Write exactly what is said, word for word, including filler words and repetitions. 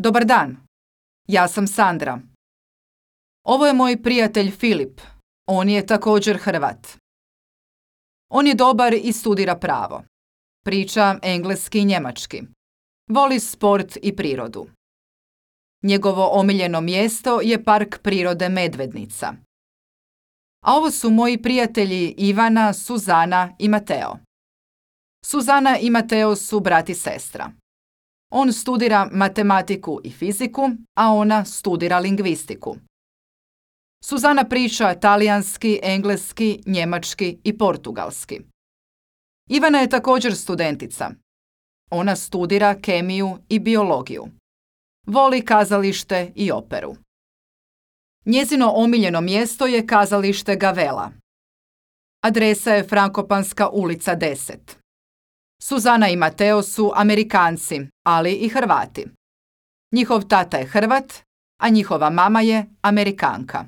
Dobar dan, ja sam Sandra. Ovo je moj prijatelj Filip, on je također Hrvat. On je dobar i studira pravo. Priča engleski i njemački. Voli sport i prirodu. Njegovo omiljeno mjesto je park prirode Medvednica. A ovo su moji prijatelji Ivana, Suzana i Mateo. Suzana i Mateo su brat i sestra. On studira matematiku i fiziku, a ona studira lingvistiku. Suzana priča talijanski, engleski, njemački i portugalski. Ivana je također studentica. Ona studira kemiju i biologiju. Voli kazalište i operu. Njezino omiljeno mjesto je kazalište Gavella. Adresa je Frankopanska ulica deset. Suzana i Mateo su Amerikanci, ali i Hrvati. Njihov tata je Hrvat, a njihova mama je Amerikanka.